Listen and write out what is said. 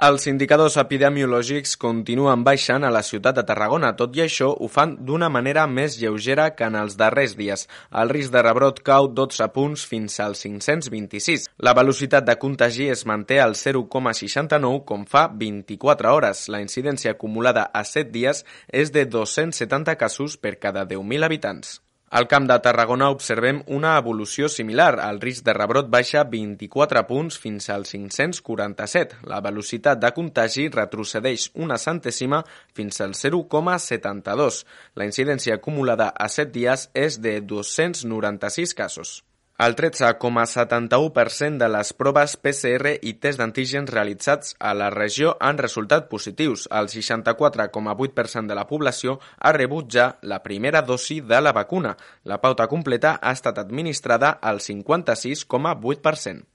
Els indicadors epidemiològics continuen baixant a la ciutat de Tarragona, tot i això ho fan d'una manera més lleugera que en els darrers dies. El risc de rebrot cau 12 punts fins als 526. La velocitat de contagi es manté al 0,69 com fa 24 hores. La incidència acumulada a 7 dies és de 270 casos per cada 10.000 habitants. Al Camp de Tarragona observem una evolució similar. El risc de rebrot baixa 24 punts fins als 547. La velocitat de contagi retrocedeix una centèsima fins al 0,72. La incidència acumulada a 7 dies és de 296 casos. El 13,71% de les proves PCR i test d'antígens realitzats a la regió han resultat positius. El 64,8% de la població ha rebut ja la primera dosi de la vacuna. La pauta completa ha estat administrada al 56,8%.